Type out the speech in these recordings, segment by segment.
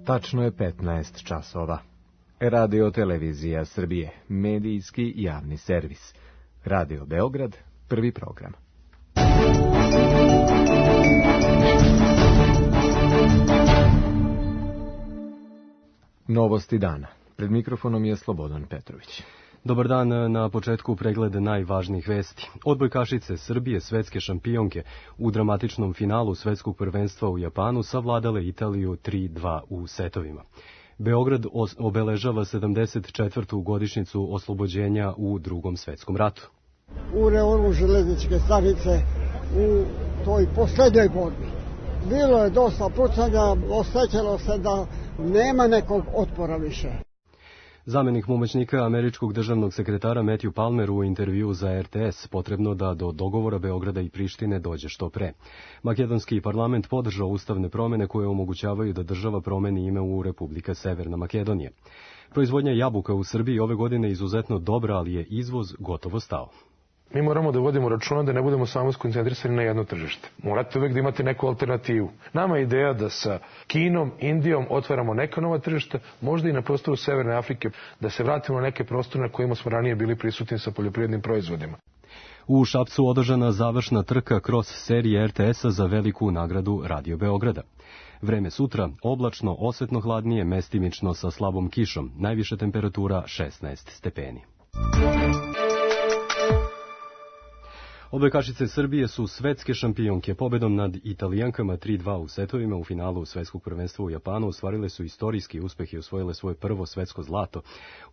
Tačno je 15 časova. Radio Televizija Srbije, medijski javni servis. Radio Beograd, prvi program. Novosti dana. Pred mikrofonom je Slobodan Petrović. Dobar dan, na početku pregled najvažnijih vesti. Odbojkašice Srbije, svetske šampionke, u dramatičnom finalu svetskog prvenstva u Japanu savladale Italiju 3-2 u setovima. Beograd obeležava 74. godišnjicu oslobođenja u Drugom svetskom ratu. U reonu železničke stanice u toj poslednjoj borbi bilo je dosta pucanja, osjećalo se da nema nekog otpora više. Zamenik pomoćnika američkog državnog sekretara Matthew Palmer u intervju za RTS potrebno da do dogovora Beograda i Prištine dođe što pre. Makedonski parlament podržao ustavne promene koje omogućavaju da država promeni ime u Republika Severna Makedonija. Proizvodnja jabuka u Srbiji ove godine je izuzetno dobra, ali je izvoz gotovo stao. Mi moramo da vodimo računa da ne budemo samo skoncentrisani na jedno tržište. Morate uvek da imate neku alternativu. Nama je ideja da sa Kinom, Indijom otvaramo neka nova tržišta, možda i na prostoru Severne Afrike, da se vratimo na neke prostore na kojima smo ranije bili prisutni sa poljoprivrednim proizvodima. U Šapcu održana završna trka kroz serije RTS-a za veliku nagradu Radio Beograda. Vreme sutra, oblačno, osetno hladnije, mestimično sa slabom kišom, najviša temperatura 16 stepeni. Odbojkašice Srbije su svetske šampionke. Pobedom nad Italijankama 3-2 u setovima u finalu svetskog prvenstva u Japanu ostvarile su istorijski uspeh i osvojile svoje prvo svetsko zlato.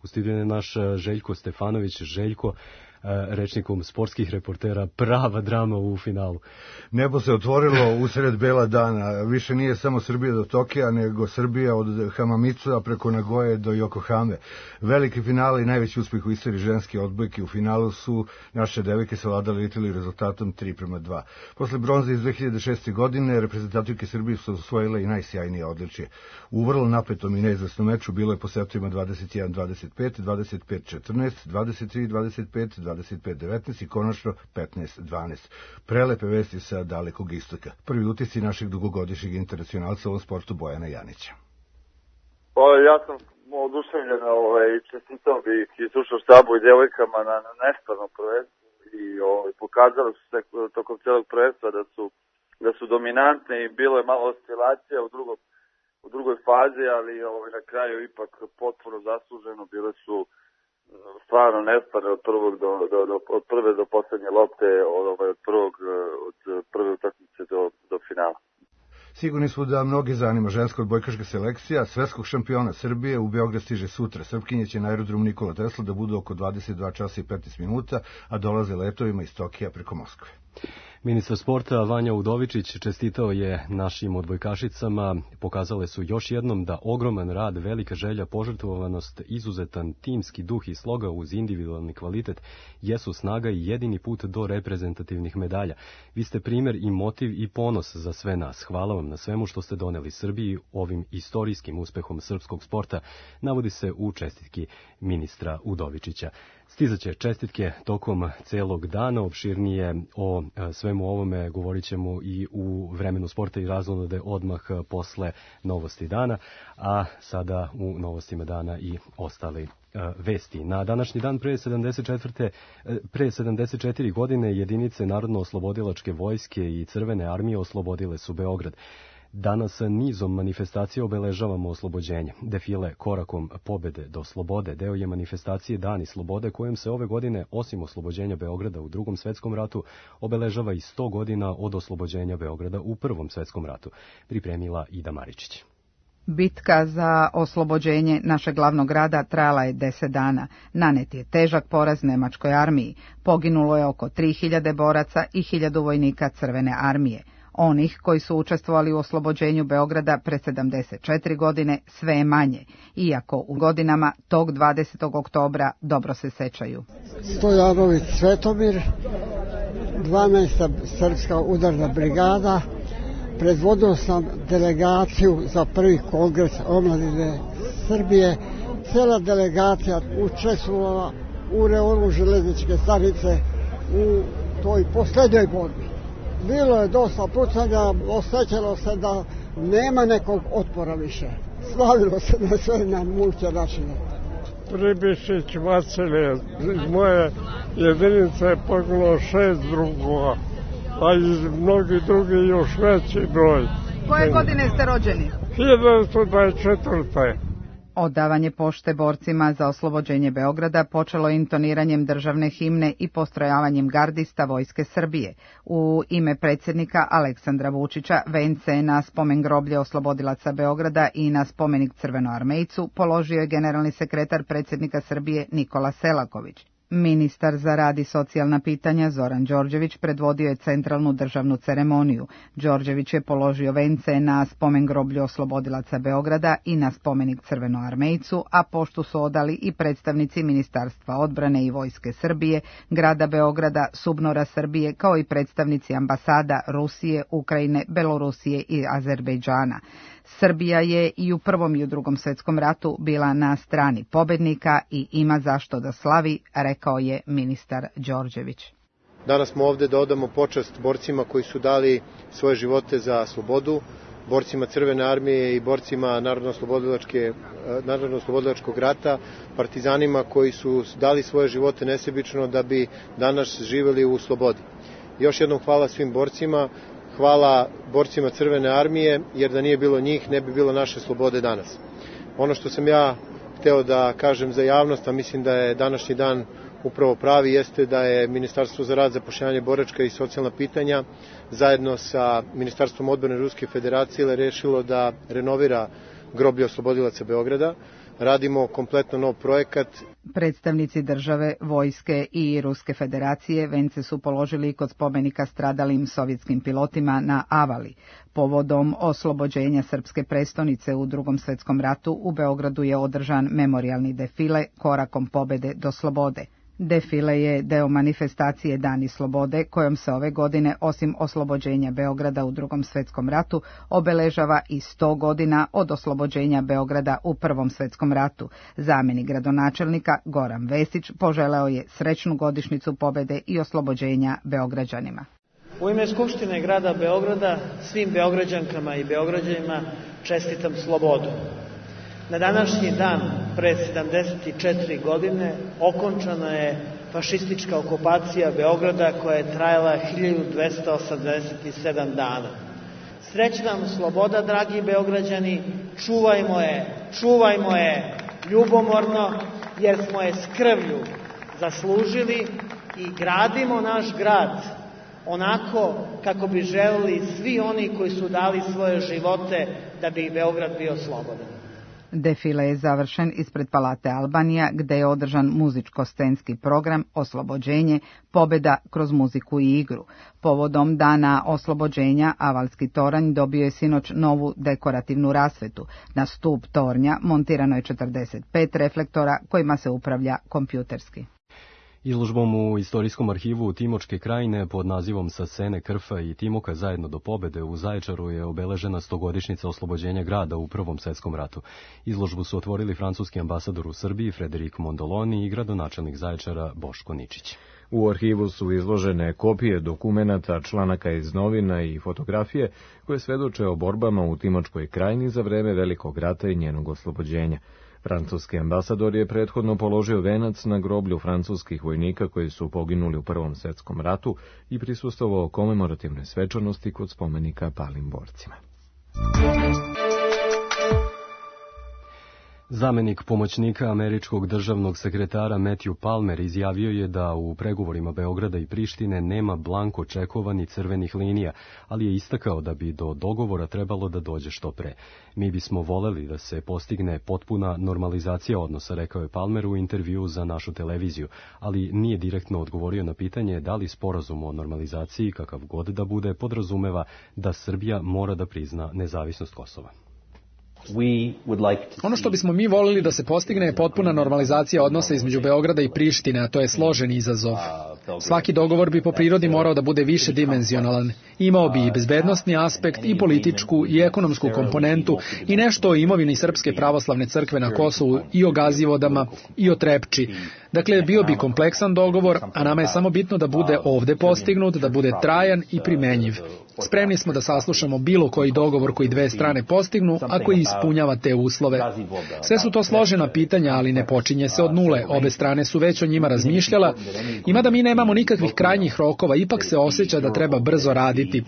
U studiju je naš Željko Stefanović. Željko, rečnikom sportskih reportera, prava drama u finalu. Nebo se otvorilo usred bela dana. Više nije samo Srbija do Tokija, nego Srbija od Hamamitsua preko Nagoje do Yokohame. Veliki finale i najveći uspeh u istoriji ženske odbojke. U finalu su naše devojke savladale Italiju rezultatom 3-2. Posle bronze iz 2006. godine reprezentativke Srbije su osvojile i najsjajnije odličje. U vrlo napetom i neizvesnom meču bilo je po setovima 21-25, 25-14, 23-25, 25-19 i konačno 15-12. Prelepe vesti sa dalekog istoka. Prvi utisci našeg dugogodišnjeg internacionalca u ovom sportu Bojana Janića. Ja sam oduševljen i čestitao bih i slušao štabu i djevojkama na nestvarnom prvenstvu i pokazali su se tokom celog prvenstva da su dominantne i bilo je malo oscilacija u drugoj fazi, ali na kraju ipak potpuno zasluženo. Bile su stvarno nestvarne od prve do poslednje lopte, od prve utakmice do finala. Sigurni smo da mnogi zanima ženska odbojkaška selekcija svetskog šampiona Srbije. U Beograd stiže sutra. Srpkinje će na aerodrom Nikola Tesla da budu oko 22 časa i 15 minuta, a dolaze letovima iz Tokija preko Moskve. Ministar sporta Vanja Udovičić čestitao je našim odbojkašicama. Pokazale su još jednom da ogroman rad, velika želja, požrtvovanost, izuzetan timski duh i sloga uz individualni kvalitet jesu snaga i jedini put do reprezentativnih medalja. Vi ste primer i motiv i ponos za sve nas. Hvala vam na svemu što ste doneli Srbiji ovim istorijskim uspehom srpskog sporta, navodi se u čestitki ministra Udovičića. Stizaće čestitke tokom celog dana, opširnije o svemu ovome govorit ćemo i u vremenu sporta i razonode odmah posle novosti dana, a sada u novostima dana i ostali vesti. Na današnji dan pre 74 godine jedinice Narodno-oslobodilačke vojske i Crvene armije oslobodile su Beograd. Danas nizom manifestacija obeležavamo oslobođenje. Defile korakom pobede do slobode deo je manifestacije Dani slobode, kojom se ove godine, osim oslobođenja Beograda u Drugom svetskom ratu, obeležava i 100 godina od oslobođenja Beograda u Prvom svetskom ratu, pripremila Ida Maričić. Bitka za oslobođenje našeg glavnog grada trajala je 10 dana. Nanet je težak poraz nemačkoj armiji. Poginulo je oko 3000 boraca i 1000 vojnika Crvene armije. Onih koji su učestvovali u oslobođenju Beograda pre 74 godine sve je manje, iako u godinama tog 20. oktobra dobro se sećaju. Stojanović Svetomir, 12. srpska udarna brigada, predvodio sam delegaciju za prvi kongres omladine Srbije. Cela delegacija učestvovala u reonu železničke stanice u toj poslednjoj borbi. Bilo je dosta pucanja, osjećalo se da nema nekog otpora više. Slavilo se na sve na multinačine. Pribišić Vasilije, iz moje jedinice je poginulo 6 drugova, a iz mnogih drugih još veći broj. Koje godine ste rođeni? 1924. Odavanje pošte borcima za oslobođenje Beograda počelo intoniranjem državne himne i postrojavanjem gardista Vojske Srbije. U ime predsjednika Aleksandra Vučića vence na spomen groblje oslobodilaca Beograda i na spomenik Crvenoarmejcu položio je generalni sekretar predsjednika Srbije Nikola Selaković. Ministar za rad i socijalna pitanja Zoran Đorđević predvodio je centralnu državnu ceremoniju. Đorđević je položio vence na spomen groblju oslobodilaca Beograda i na spomenik Crvenoarmejcu, a poštu su odali i predstavnici Ministarstva odbrane i Vojske Srbije, grada Beograda, SUBNOR-a Srbije, kao i predstavnici ambasada Rusije, Ukrajine, Belorusije i Azerbejdžana. Srbija je i u Prvom i u Drugom svjetskom ratu bila na strani pobednika i ima zašto da slavi, rekao je ministar Đorđević. Danas smo ovde da odamo počast borcima koji su dali svoje živote za slobodu, borcima Crvene armije i borcima Narodno-oslobodilačkog rata, partizanima koji su dali svoje živote nesebično da bi danas živeli u slobodi. Još jednom hvala svim borcima. Hvala borcima Crvene armije, jer da nije bilo njih, ne bi bilo naše slobode danas. Ono što sam ja hteo da kažem za javnost, a mislim da je današnji dan upravo pravi, jeste da je Ministarstvo za rad, zapošljavanje, boračka i socijalna pitanja zajedno sa Ministarstvom odbrane Ruske federacije rešilo da renovira groblje oslobodilaca Beograda. Radimo kompletno nov projekat. Predstavnici države, vojske i Ruske federacije vence su položili kod spomenika stradalim sovjetskim pilotima na Avali. Povodom oslobođenja srpske prestonice u Drugom svjetskom ratu u Beogradu je održan memorijalni defile Korakom pobede do slobode. Defile je deo manifestacije Dani slobode, kojom se ove godine, osim oslobođenja Beograda u Drugom svjetskom ratu, obeležava i 100 godina od oslobođenja Beograda u Prvom svjetskom ratu. Zamjenik gradonačelnika Goran Vesić poželeo je srećnu godišnjicu pobede i oslobođenja Beograđanima. U ime Skupštine grada Beograda svim Beograđankama i Beograđanima čestitam slobodu. Na današnji dan, pre 74 godine, okončana je fašistička okupacija Beograda koja je trajala 1287 dana. Srećna vam sloboda, dragi Beograđani, čuvajmo je ljubomorno, jer smo je s krvlju zaslužili i gradimo naš grad onako kako bi želeli svi oni koji su dali svoje živote da bi Beograd bio slobodan. Defile je završen ispred Palate Albanija, gde je održan muzičko-scenski program Oslobođenje, pobeda kroz muziku i igru. Povodom dana oslobođenja, Avalski toranj dobio je sinoć novu dekorativnu rasvetu. Na stup tornja montirano je 45 reflektora kojima se upravlja kompjuterski. Izložbom u Istorijskom arhivu Timočke krajine pod nazivom Sa Sene, Krfa i Timoka zajedno do pobede u Zaječaru je obeležena 100-godišnjica oslobođenja grada u Prvom svjetskom ratu. Izložbu su otvorili francuski ambasador u Srbiji Frederik Mondoloni i gradonačelnik Zaječara Boško Ničić. U arhivu su izložene kopije dokumenata, članaka iz novina i fotografije koje svedoče o borbama u Timočkoj krajini za vreme Velikog rata i njenog oslobođenja. Francuski ambasador je prethodno položio venac na groblju francuskih vojnika koji su poginuli u Prvom svjetskom ratu i prisustvovao komemorativnoj svečanosti kod spomenika palim borcima. Zamenik pomoćnika američkog državnog sekretara Matthew Palmer izjavio je da u pregovorima Beograda i Prištine nema blanko čekova ni crvenih linija, ali je istakao da bi do dogovora trebalo da dođe što pre. Mi bismo voleli da se postigne potpuna normalizacija odnosa, rekao je Palmer u intervjuu za našu televiziju, ali nije direktno odgovorio na pitanje da li sporazum o normalizaciji, kakav god da bude, podrazumeva da Srbija mora da prizna nezavisnost Kosova. Ono što bismo mi volili da se postigne je potpuna normalizacija odnosa između Beograda i Prištine, a to je složen izazov. Svaki dogovor bi po prirodi morao da bude više dimenzionalan. Imao bi i bezbednosni aspekt, i političku, i ekonomsku komponentu, i nešto o imovini Srpske pravoslavne crkve na Kosovu, i o Gazivodama, i o Trepči. Dakle, bio bi kompleksan dogovor, a nama je samo bitno da bude ovde postignut, da bude trajan i primenjiv. Spremni smo da saslušamo bilo koji dogovor koji dve strane postignu, ako je ispunimo. ispunjava te uslove. Sve su to složena pitanja, ali ne počinje se od nule. Obe strane su već o njima razmišljala i mada mi nemamo nikakvih krajnjih rokova, ipak se osjeća da treba brzo raditi.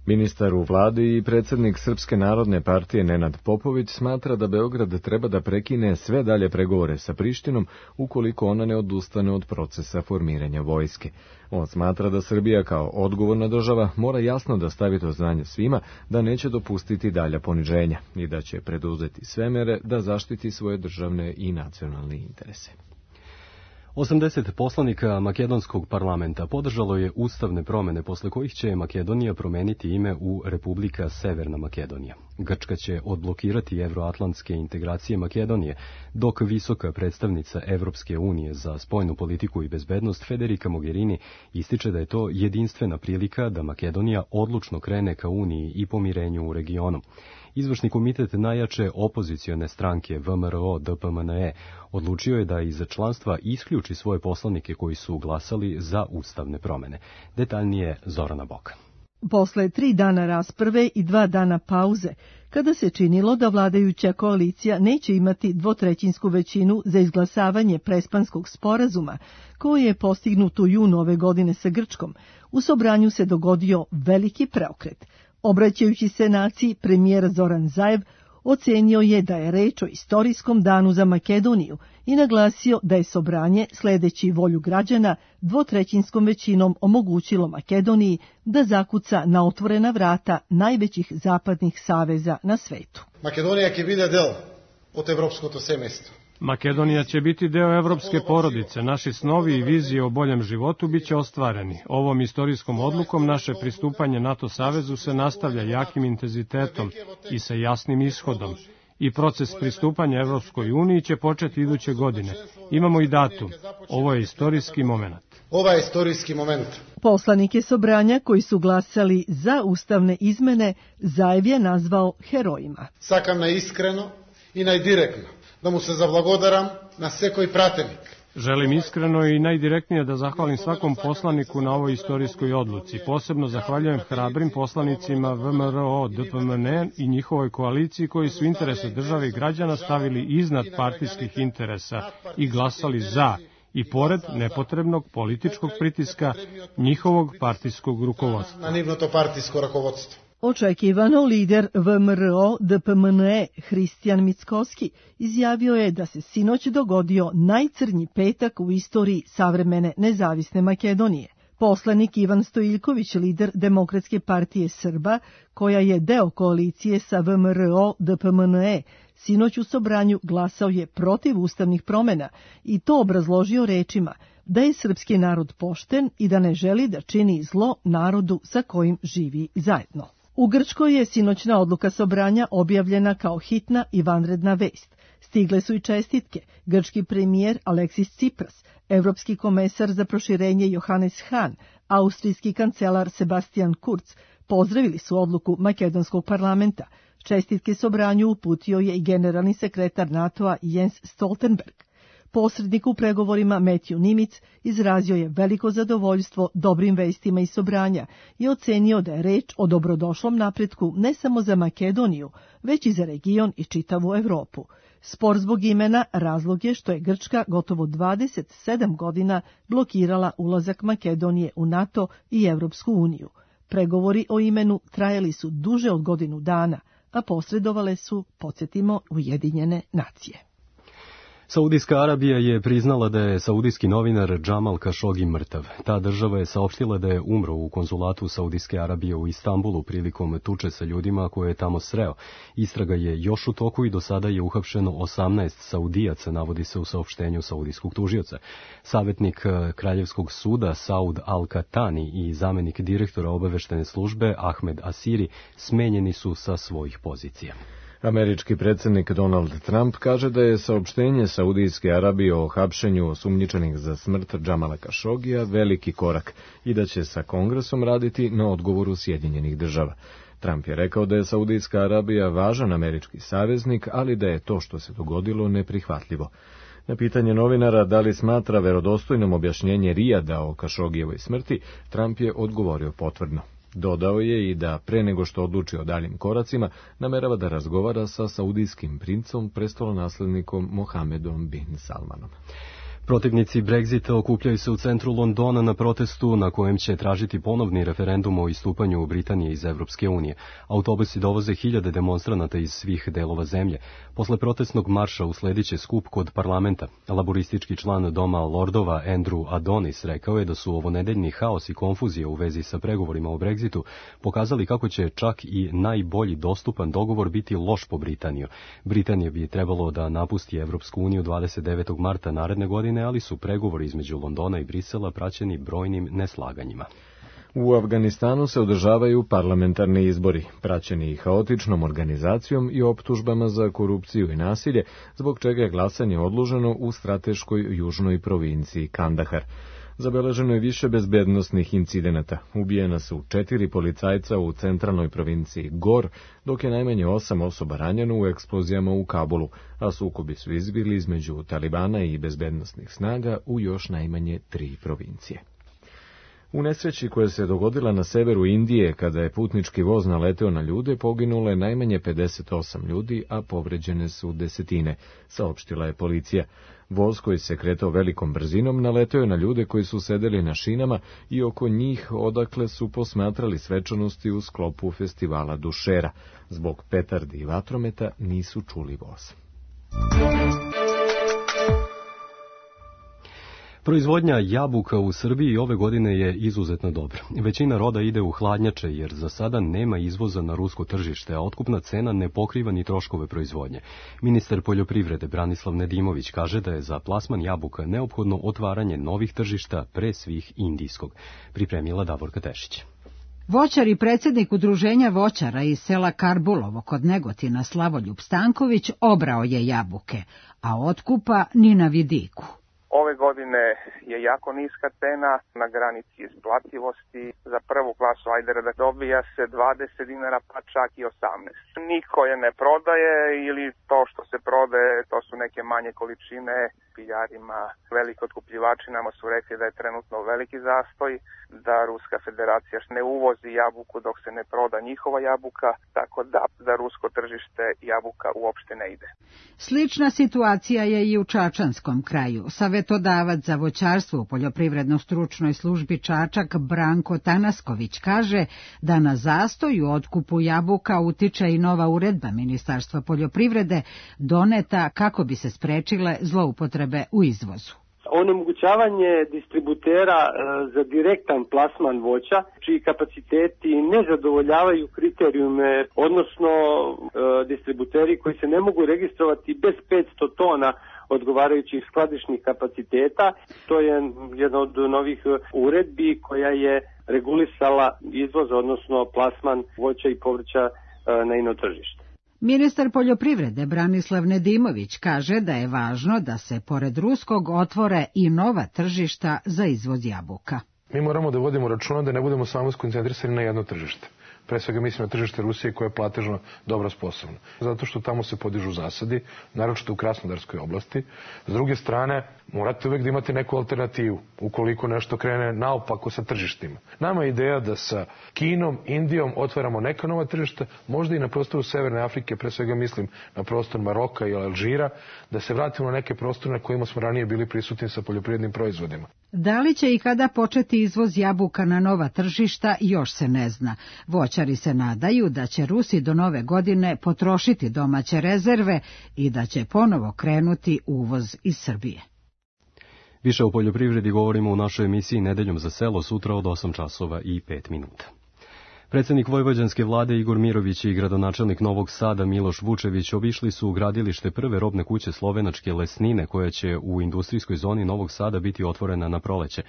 Ministar u vladi i predsjednik Srpske narodne partije Nenad Popović smatra da Beograd treba da prekine sve dalje pregovore sa Prištinom ukoliko ona ne odustane od procesa formiranja vojske. On smatra da Srbija kao odgovorna država mora jasno da stavi do znanja svima da neće dopustiti dalja poniženja i da će preduzeti sve mere da zaštiti svoje državne i nacionalne interese. 80 poslanika makedonskog parlamenta podržalo je ustavne promene posle kojih će Makedonija promeniti ime u Republika Severna Makedonija. Grčka će odblokirati evroatlantske integracije Makedonije, dok visoka predstavnica Evropske unije za spoljnu politiku i bezbednost Federica Mogherini ističe da je to jedinstvena prilika da Makedonija odlučno krene ka uniji i pomirenju u regionu. Izvršni komitet najjače opozicione stranke VMRO-DPMNE odlučio je da iz članstva isključi svoje poslanike koji su glasali za ustavne promene. Detaljnije Zorana Boka. Posle 3 dana rasprave i 2 dana pauze, kada se činilo da vladajuća koalicija neće imati dvotrećinsku većinu za izglasavanje Prespanskog sporazuma, koji je postignut u junu ove godine sa Grčkom, u Sobranju se dogodio veliki preokret. Obraćajući se naciji, premijer Zoran Zaev ocenio je da je reč o istorijskom danu za Makedoniju i naglasio da je Sobranje, sledeći volju građana, dvotrećinskom većinom omogućilo Makedoniji da zakuca na otvorena vrata najvećih zapadnih saveza na svetu. Makedonija će biti del od evropskog semestra. Makedonija će biti deo evropske porodice. Naši snovi i vizije o boljem životu biće ostvareni. Ovom istorijskom odlukom naše pristupanje NATO savezu se nastavlja jakim intenzitetom i sa jasnim ishodom. I proces pristupanja Evropskoj uniji će početi iduće godine. Imamo i datum. Ovo je istorijski moment. Ovo je istorijski moment. Poslanike Sobranja koji su glasali za ustavne izmene Zaev je nazvao herojima. Sakam najiskreno i najdirektno da mu se zablagodaram na sekoj pratenik. Želim iskreno i najdirektnije da zahvalim svakom poslaniku na ovoj istorijskoj odluci. Posebno zahvaljujem hrabrim poslanicima VMRO-DPMNE i njihovoj koaliciji koji su interese države i građana stavili iznad partijskih interesa i glasali za i pored nepotrebnog političkog pritiska njihovog partijskog rukovodstva. Na nivno to partijsko rukovodstvo. Očekivano lider VMRO-DPMNE Hristijan Mickoski izjavio je da se sinoć dogodio najcrnji petak u istoriji savremene nezavisne Makedonije. Poslanik Ivan Stojiljković, lider Demokratske partije Srba, koja je deo koalicije sa VMRO-DPMNE, sinoć u Sobranju glasao je protiv ustavnih promena i to obrazložio rečima da je srpski narod pošten i da ne želi da čini zlo narodu sa kojim živi zajedno. U Grčkoj je sinoćna odluka Sobranja objavljena kao hitna i vanredna vest. Stigle su i čestitke. Grčki premijer Aleksis Tsipras, evropski komesar za proširenje Johannes Hahn, austrijski kancelar Sebastian Kurz pozdravili su odluku makedonskog parlamenta. Čestitke Sobranju uputio je i generalni sekretar NATO-a Jens Stoltenberg. Posrednik u pregovorima Matthew Nimitz izrazio je veliko zadovoljstvo dobrim vestima iz Sobranja i ocenio da je reč o dobrodošlom napretku ne samo za Makedoniju, već i za region i čitavu Evropu. Spor zbog imena razlog je što je Grčka gotovo 27 godina blokirala ulazak Makedonije u NATO i Evropsku uniju. Pregovori o imenu trajali su duže od godinu dana, a posredovale su, podsjetimo, Ujedinjene nacije. Saudijska Arabija je priznala da je saudijski novinar Džamal Kašogi mrtav. Ta država je saopštila da je umro u konzulatu Saudijske Arabije u Istanbulu prilikom tuče sa ljudima koje je tamo sreo. Istraga je još u toku i do sada je uhapšeno 18 Saudijaca, navodi se u saopštenju saudijskog tužioca. Savjetnik Kraljevskog suda Saud Al-Katani i zamenik direktora obaveštene službe Ahmed Asiri smenjeni su sa svojih pozicija. Američki predsjednik Donald Trump kaže da je saopštenje Saudijske Arabije o hapšenju osumnjičenih za smrt Džamala Kašogija veliki korak i da će sa Kongresom raditi na odgovoru Sjedinjenih država. Trump je rekao da je Saudijska Arabija važan američki saveznik, ali da je to što se dogodilo neprihvatljivo. Na pitanje novinara da li smatra verodostojnom objašnjenje Rijada o Kašogijevoj smrti, Trump je odgovorio potvrdno. Dodao je i da pre nego što odluči o daljim koracima, namerava da razgovara sa saudijskim princom, prestolonaslednikom Mohamedom bin Salmanom. Protivnici Brexita okupljaju se u centru Londona na protestu na kojem će tražiti ponovni referendum o istupanju Britanije iz Evropske unije. Autobusi dovoze hiljade demonstranata iz svih delova zemlje. Posle protestnog marša usledit će skup kod parlamenta. Laboristički član Doma Lordova Andrew Adonis rekao je da su ovonedeljni haos i konfuzija u vezi sa pregovorima o Brexitu pokazali kako će čak i najbolji dostupan dogovor biti loš po Britaniju. Britanija bi trebalo da napusti Evropsku uniju 29. marta naredne godine, ali su pregovori između Londona i Brisela praćeni brojnim neslaganjima. U Afganistanu se održavaju parlamentarni izbori, praćeni haotičnom organizacijom i optužbama za korupciju i nasilje, zbog čega je glasanje odloženo u strateškoj južnoj provinciji Kandahar. Zabeleženo je više bezbednosnih incidenata. Ubijena su 4 policajca u centralnoj provinciji Gor, dok je najmanje 8 osoba ranjeno u eksplozijama u Kabulu, a sukobi su izbili između Talibana i bezbednosnih snaga u još najmanje 3 provincije. U nesreći koja se dogodila na severu Indije, kada je putnički voz naleteo na ljude, poginulo je najmanje 58 ljudi, a povređene su desetine, saopštila je policija. Voz koji se kretao velikom brzinom naleteo je na ljude koji su sedeli na šinama i oko njih odakle su posmatrali svečanosti u sklopu festivala Dušera. Zbog petardi i vatrometa nisu čuli voz. Proizvodnja jabuka u Srbiji ove godine je izuzetno dobra. Većina roda ide u hladnjače jer za sada nema izvoza na rusko tržište, a otkupna cena ne pokriva ni troškove proizvodnje. Ministar poljoprivrede Branislav Nedimović kaže da je za plasman jabuka neophodno otvaranje novih tržišta, pre svih indijskog. Pripremila Davorka Tešić. Voćar i predsjednik udruženja voćara iz sela Karbulovo kod Negotina Slavoljub Stanković obrao je jabuke, a otkupa ni na vidiku. Ove godine je jako niska cena, na granici isplativosti. Za prvu klasu ajdera da dobija se 20 dinara, pa čak i 18. Niko je ne prodaje ili to što se prodaje, to su neke manje količine. Piljarima, veliki otkupljivači nama su rekli da je trenutno veliki zastoj, da Ruska federacija ne uvozi jabuku dok se ne proda njihova jabuka, tako da za rusko tržište jabuka uopšte ne ide. Slična situacija je i u Čačanskom kraju. Savetodavac za voćarstvo u poljoprivredno-stručnoj službi Čačak Branko Tanasković kaže da na zastoj u otkupu jabuka utiče i nova uredba Ministarstva poljoprivrede doneta kako bi se sprečile zloupotrebe u izvozu. Onemogućavanje distributera za direktan plasman voća, čiji kapaciteti ne zadovoljavaju kriterijume, odnosno distributeri koji se ne mogu registrovati bez 500 tona odgovarajućih skladišnih kapaciteta. To je jedna od novih uredbi koja je regulisala izvoz, odnosno plasman voća i povrća na ino tržište. Ministar poljoprivrede Branislav Nedimović kaže da je važno da se pored ruskog otvore i nova tržišta za izvoz jabuka. Mi moramo da vodimo računa da ne budemo samo skoncentrisani na jedno tržište. Pre svega mislim na tržište Rusije koje je platežno dobro sposobno. Zato što tamo se podižu zasadi, naročito u Krasnodarskoj oblasti. S druge strane, morate uvek da imate neku alternativu, ukoliko nešto krene naopako sa tržištima. Nama je ideja da sa Kinom, Indijom otvaramo neka nova tržišta, možda i na prostoru Severne Afrike, pre svega mislim na prostor Maroka i Alžira, da se vratimo na neke prostore na kojima smo ranije bili prisutni sa poljoprivrednim proizvodima. Da li će i kada početi izvoz jabuka na nova tržišta, još se ne zna. Voćari se nadaju da će Rusi do nove godine potrošiti domaće rezerve i da će ponovo krenuti uvoz iz Srbije. Više o poljoprivredi govorimo u našoj emisiji Nedeljom za selo sutra od 8:05. Predsjednik vojvođanske vlade Igor Mirović i gradonačelnik Novog Sada Miloš Vučević obišli su gradilište prve robne kuće slovenačke Lesnine, koja će u industrijskoj zoni Novog Sada biti otvorena na proleće.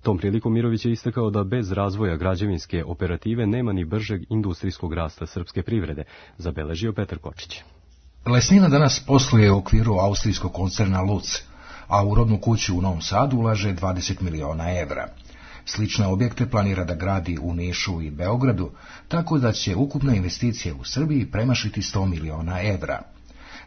Tom prilikom Mirović je istakao da bez razvoja građevinske operative nema ni bržeg industrijskog rasta srpske privrede, zabeležio Petar Kočić. Lesnina danas posluje u okviru austrijskog koncerna Luc, a u robnu kuću u Novom Sadu ulaže 20 miliona evra. Slične objekte planira da gradi u Nišu i Beogradu, tako da će ukupna investicija u Srbiji premašiti 100 miliona evra.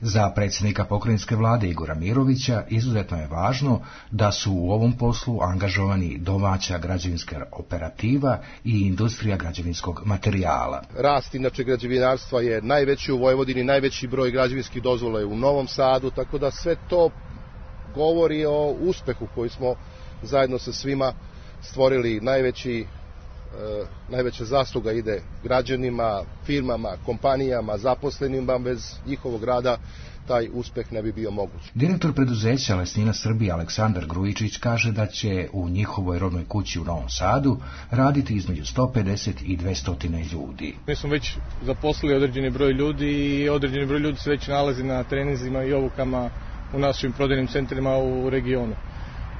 Za predsjednika pokrajinske vlade Igora Mirovića izuzetno je važno da su u ovom poslu angažovani domaća građevinska operativa i industrija građevinskog materijala. Rast inače građevinarstva je najveći u Vojvodini, najveći broj građevinskih dozvola je u Novom Sadu, tako da sve to govori o uspehu koji smo zajedno sa svima stvorili. Najveća zasluga ide građanima, firmama, kompanijama, zaposlenima. Bez njihovog rada taj uspeh ne bi bio moguć. Direktor preduzeća Lesnina Srbije Aleksandar Grujičić kaže da će u njihovoj rodnoj kući u Novom Sadu raditi između 150 i 200 ljudi. Mi smo već zaposlili određeni broj ljudi i određeni broj ljudi se već nalazi na treninzima i obukama u našim prodajnim centrima u regionu.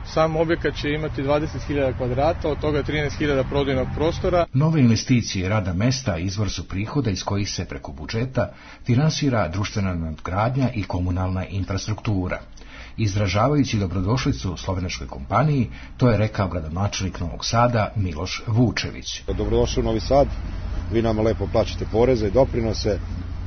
Sam objekat će imati 20.000 kvadrata, od toga 13.000 prodajnog prostora. Nove investicije i rada mesta izvor su prihoda iz kojih se preko budžeta finansira društvena nadgradnja i komunalna infrastruktura. Izražavajući dobrodošlicu slovenačkoj kompaniji, to je rekao gradonačelnik Novog Sada Miloš Vučević. Dobrodošli u Novi Sad, vi nama lepo plaćate poreze i doprinose,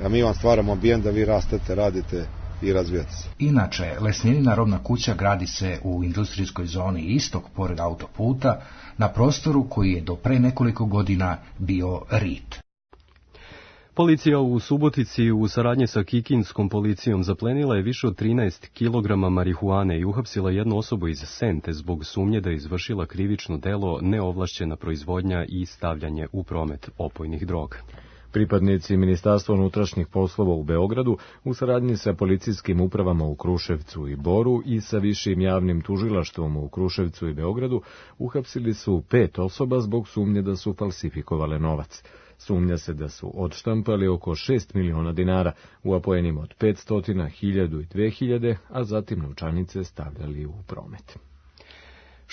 a mi vam stvaramo ambijent da vi rastete, radite i razvijati se. Inače, Lesnjenina robna kuća gradi se u industrijskoj zoni Istok pored autoputa na prostoru koji je do pre nekoliko godina bio rit. Policija u Subotici u saradnji sa kikinskom policijom zaplenila je više od 13 kg marihuane i uhapsila jednu osobu iz Sente zbog sumnje da je izvršila krivično delo neovlašćena proizvodnja i stavljanje u promet opojnih droga. Pripadnici Ministarstva unutrašnjih poslova u Beogradu u saradnji sa policijskim upravama u Kruševcu i Boru i sa višim javnim tužilaštvom u Kruševcu i Beogradu uhapsili su 5 osoba zbog sumnje da su falsifikovale novac. Sumnja se da su odštampali oko 6 miliona dinara u apojenima od 500, 1000 i 2000, a zatim novčanice stavljali u promet.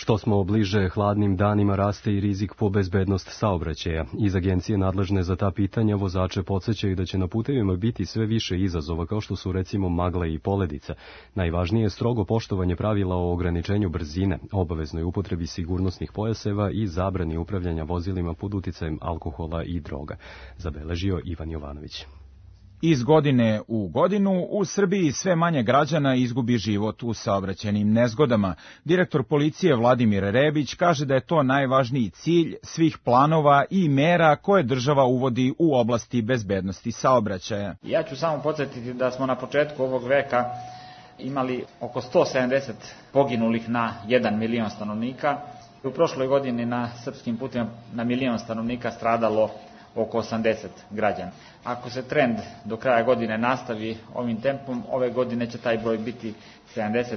Što smo bliže hladnim danima, raste i rizik po bezbednost saobraćaja. Iz agencije nadležne za ta pitanja vozače podsjećaju da će na putevima biti sve više izazova, kao što su recimo magla i poledica. Najvažnije je strogo poštovanje pravila o ograničenju brzine, obaveznoj upotrebi sigurnosnih pojaseva i zabrani upravljanja vozilima pod uticajem alkohola i droga, zabeležio Ivan Jovanović. Iz godine u godinu u Srbiji sve manje građana izgubi život u saobraćajnim nezgodama. Direktor policije Vladimir Rebić kaže da je to najvažniji cilj svih planova i mera koje država uvodi u oblasti bezbednosti saobraćaja. Ja ću samo podsjetiti da smo na početku ovog veka imali oko 170 poginulih na 1 milion stanovnika. U prošloj godini na srpskim putima na milion stanovnika stradalo oko 80 građana. Ako se trend do kraja godine nastavi ovim tempom, ove godine će taj broj biti 75.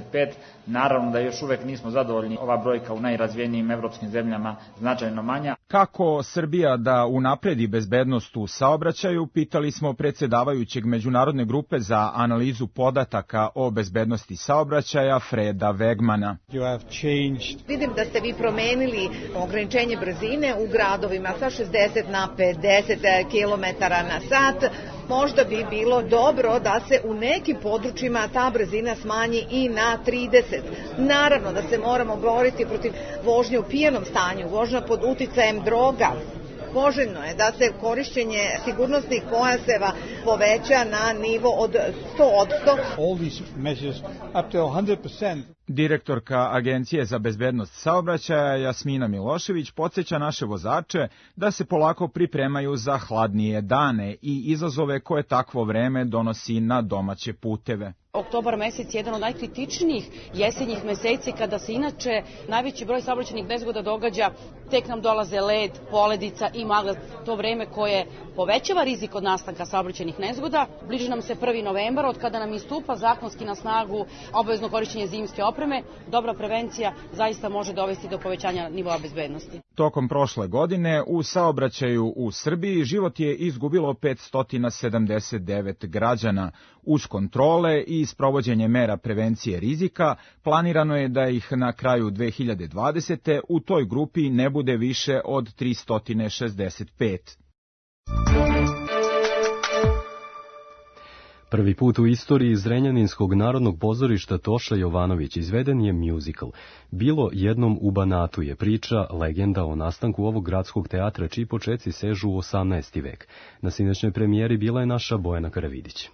Naravno da još uvek nismo zadovoljni, ova brojka u najrazvijenijim evropskim zemljama značajno manja. Kako Srbija da unapredi bezbednost u saobraćaju, pitali smo predsjedavajućeg Međunarodne grupe za analizu podataka o bezbednosti saobraćaja Freda Wegmana. Vidim da ste vi promenili ograničenje brzine u gradovima sa 60 na 50 km na sat. Možda bi bilo dobro da se u nekim područjima ta brzina smanji i na 30. Naravno da se moramo boriti protiv vožnje u pijanom stanju, vožnja pod uticajem droga. Poželjno je da se korišćenje sigurnosnih pojaseva poveća na nivo od 100%. Direktorka Agencije za bezbednost saobraćaja Jasmina Milošević podsjeća naše vozače da se polako pripremaju za hladnije dane i izazove koje takvo vreme donosi na domaće puteve. Oktobar mesec je jedan od najkritičnijih jesenjih meseci kada se inače najveći broj saobraćajnih nezgoda događa, tek nam dolaze led, poledica i magla, to vreme koje povećava rizik od nastanka saobraćajnih nezgoda. Bliži nam se 1. novembar, od kada nam istupa zakonski na snagu obavezno korišćenje zimske opreme. Dobra prevencija zaista može dovesti do povećanja nivoa bezbednosti. Tokom prošle godine u saobraćaju u Srbiji život je izgubilo 579 građana. Uz kontrole i sprovođenje mera prevencije rizika, planirano je da ih na kraju 2020. u toj grupi ne bude više od 365. Prvi put u istoriji Zrenjaninskog narodnog pozorišta Toša Jovanović izveden je muzikal. Bilo jednom u Banatu je priča, legenda o nastanku ovog gradskog teatra čiji počeci sežu u 18. vek. Na sinoćnoj premijeri bila je naša Bojana Karavidić.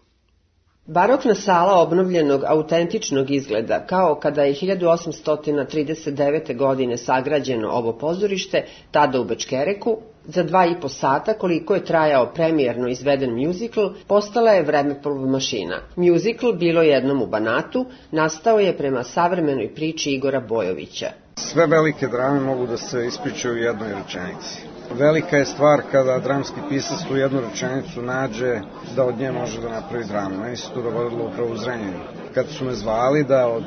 Barokna sala obnovljenog autentičnog izgleda, kao kada je 1839. godine sagrađeno ovo pozorište, tada u Bečkereku, za 2,5 sata koliko je trajao premijerno izveden mjuzikl, postala je vremeplov mašina. Mjuzikl Bilo jednom u Banatu nastao je prema savremenoj priči Igora Bojovića. Sve velike drame mogu da se ispričaju u jednoj rečenici. Velika je stvar kada dramski pisac tu jednu rečenicu nađe da od nje može da napravi dramu. Meni se to dogodilo upravo u Zrenjaninu. Kad su me zvali da od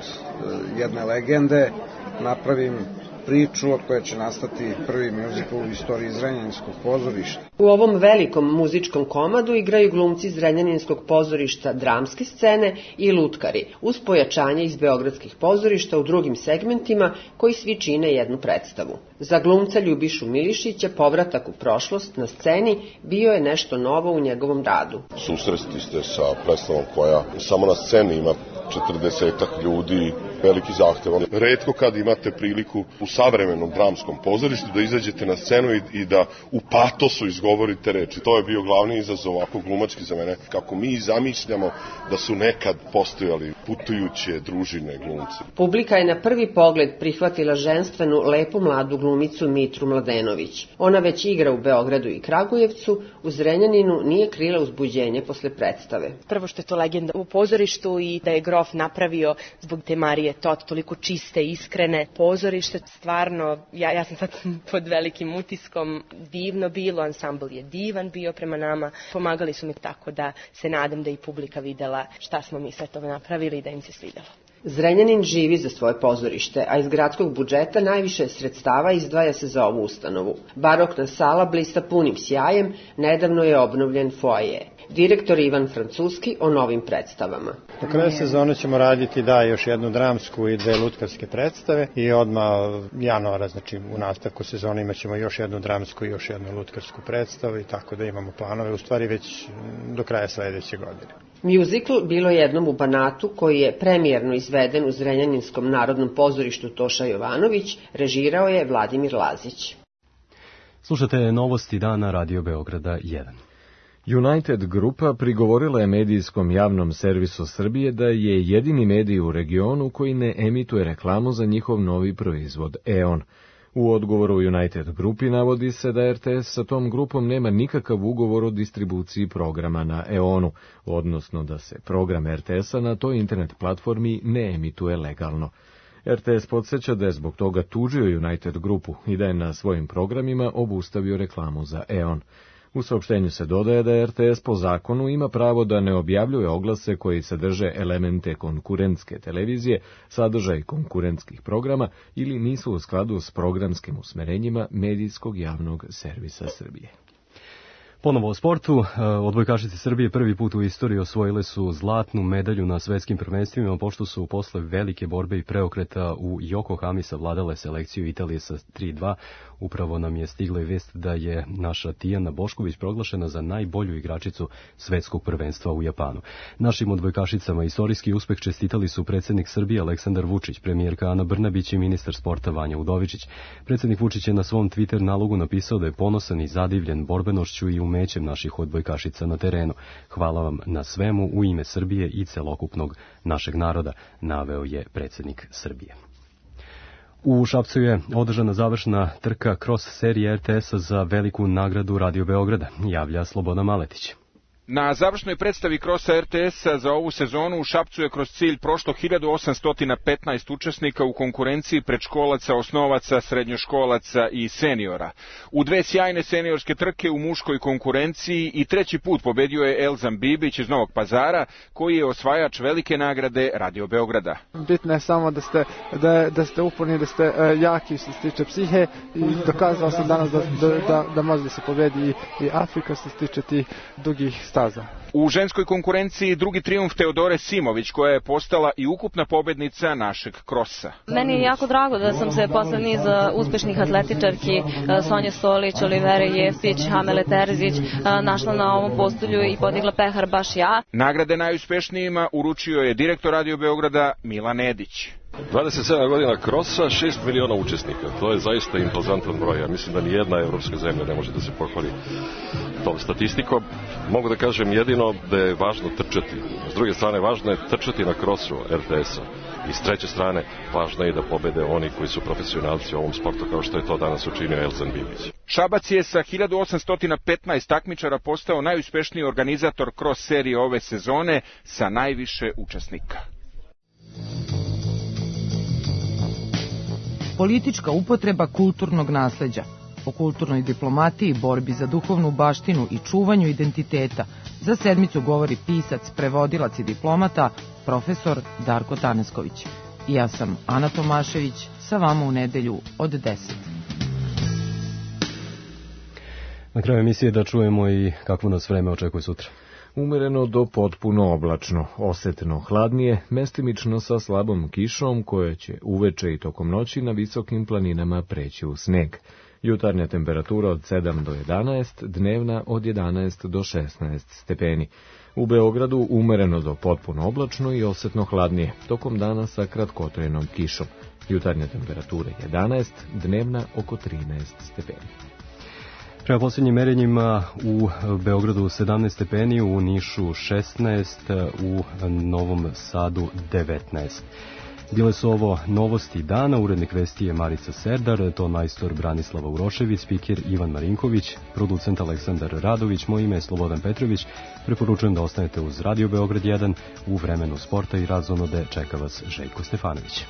jedne legende napravim priču od koje će nastati prvi mjuzikl u istoriji Zrenjaninskog pozorišta. U ovom velikom muzičkom komadu igraju glumci Zrenjaninskog pozorišta dramske scene i lutkari, uz pojačanje iz beogradskih pozorišta u drugim segmentima koji svi čine jednu predstavu. Za glumca Ljubišu Milišića povratak u prošlost na sceni bio je nešto novo u njegovom radu. Susresti ste sa predstavom koja samo na sceni ima 40 ljudi, veliki zahtev. Retko kad imate priliku u savremenom dramskom pozorištu da izađete na scenu i da u patosu izgovorite reči. To je bio glavni izazov ovako glumački za mene. Kako mi zamišljamo da su nekad postojali putujuće družine glumci. Publika je na prvi pogled prihvatila ženstvenu, lepu mladu glumicu Mitru Mladenović. Ona već igra u Beogradu i Kragujevcu, u Zrenjaninu nije krila uzbuđenje posle predstave. Prvo što je to legenda u pozorištu i da je grof napravio zbog te Marije Tot toliko čiste, iskrene pozorište. Stvarno, ja sam sad pod velikim utiskom. Divno bilo, ansambl je divan bio prema nama. Pomagali su mi tako da se nadam da i publika videla šta smo mi sve to napravili i da im se svidelo. Zrenjanin živi za svoje pozorište, a iz gradskog budžeta najviše sredstava izdvaja se za ovu ustanovu. Barokna sala blista punim sjajem, nedavno je obnovljen foaje. Direktor Ivan Francuski o novim predstavama. Do kraja sezone ćemo raditi još jednu dramsku i 2 lutkarske predstave i odmah januara, znači u nastavku sezone imat ćemo još jednu dramsku i još jednu lutkarsku predstavu i tako da imamo planove, u stvari već do kraja sledeće godine. Mjuzikl Bilo jednom u Banatu, koji je premijerno izveden u Zrenjaninskom narodnom pozorištu Toša Jovanović, režirao je Vladimir Lazić. Slušate novosti dana Radio Beograda 1. United Grupa prigovorila je medijskom javnom servisu Srbije da je jedini medij u regionu koji ne emituje reklamu za njihov novi proizvod EON. U odgovoru United Grupi navodi se da RTS sa tom grupom nema nikakav ugovor o distribuciji programa na EON-u, odnosno da se program RTS-a na toj internet platformi ne emituje legalno. RTS podsjeća da je zbog toga tužio United Grupu i da je na svojim programima obustavio reklamu za EON. U saopštenju se dodaje da RTS po zakonu ima pravo da ne objavljuje oglase koji sadrže elemente konkurentske televizije, sadržaj konkurentskih programa ili nisu u skladu s programskim usmerenjima medijskog javnog servisa Srbije. Ponovo o sportu, odbojkašice Srbije prvi put u istoriji osvojile su zlatnu medalju na svetskim prvenstvima, pošto su posle velike borbe i preokreta u Yokohami savladale selekciju Italije sa 3-2. Upravo nam je stigla i vest da je naša Tijana Bošković proglašena za najbolju igračicu svetskog prvenstva u Japanu. Našim odbojkašicama istorijski uspeh čestitali su predsjednik Srbije Aleksandar Vučić, premijerka Ana Brnabić i ministar sporta Vanja Udovičić. Predsjednik Vučić je na svom Twitter nalogu napisao da je ponosan i zadivljen borbenošću i umećem naših odbojkašica na terenu. Hvala vam na svemu u ime Srbije i celokupnog našeg naroda, naveo je predsjednik Srbije. U Šapcu je održana završna trka cross serije RTS-a za veliku nagradu Radio Beograda, javlja Slobodan Maletić. Na završnoj predstavi krosa RTS-a za ovu sezonu u Šapcu je kroz cilj prošlo 1815 učesnika u konkurenciji predškolaca, osnovaca, srednjoškolaca i seniora. U 2 sjajne seniorske trke u muškoj konkurenciji i 3. put pobedio je Elzam Bibić iz Novog Pazara, koji je osvajač velike nagrade Radio Beograda. Bitno je samo da ste uporni, da ste jaki što se tiče psihe i dokazao sam danas da može da se pobedi i Afrika što se tiče tih dugih staza. U ženskoj konkurenciji drugi trijumf Teodore Simović, koja je postala i ukupna pobednica našeg krosa. Meni je jako drago da sam se posle niza uspešnih atletičarki Sonje Stolić, Olivere Jeftić, Hamele Terzić našla na ovom postolju i podigla pehar baš ja. Nagrade najuspešnijima uručio je direktor Radio Beograda Milan Edić. 27 godina krosa, 6 miliona učesnika. To je zaista impozantan broj. Ja mislim da nijedna evropska zemlja ne može da se pohvali tom statistikom. Mogu da kažem jedino da je važno trčati. S druge strane, važno je trčati na krosu RTS-a. I s treće strane, važno je da pobede oni koji su profesionalci u ovom sportu, kao što je to danas učinio Elzan Bibić. Šabac je sa 1815 takmičara postao najuspešniji organizator cross serije ove sezone sa najviše učesnika. Politička upotreba kulturnog nasleđa. O kulturnoj diplomatiji, borbi za duhovnu baštinu i čuvanju identiteta za sedmicu govori pisac, prevodilac i diplomata, profesor Darko Tanasković. I ja sam Ana Tomašević, sa vama u nedelju od 10. Na kraju emisije da čujemo i kakvo nas vreme očekuje sutra. Umereno do potpuno oblačno, osetno hladnije, mestimično sa slabom kišom koje će uveče i tokom noći na visokim planinama preći u sneg. Jutarnja temperatura od 7 do 11, dnevna od 11 do 16 stepeni. U Beogradu umereno do potpuno oblačno i osetno hladnije, tokom dana sa kratkotrajnom kišom. Jutarnja temperatura 11, dnevna oko 13 stepeni. Prema posljednjim merenjima u Beogradu 17 stepeni, u Nišu 16, u Novom Sadu 19. Bile su ovo novosti dana, urednik vesti je Marica Serdar, to majstor Branislava Urošević, spiker Ivan Marinković, producent Aleksandar Radović, moje ime je Slobodan Petrović. Preporučujem da ostanete uz Radio Beograd 1, u vremenu sporta i razonode čeka vas Željko Stefanović.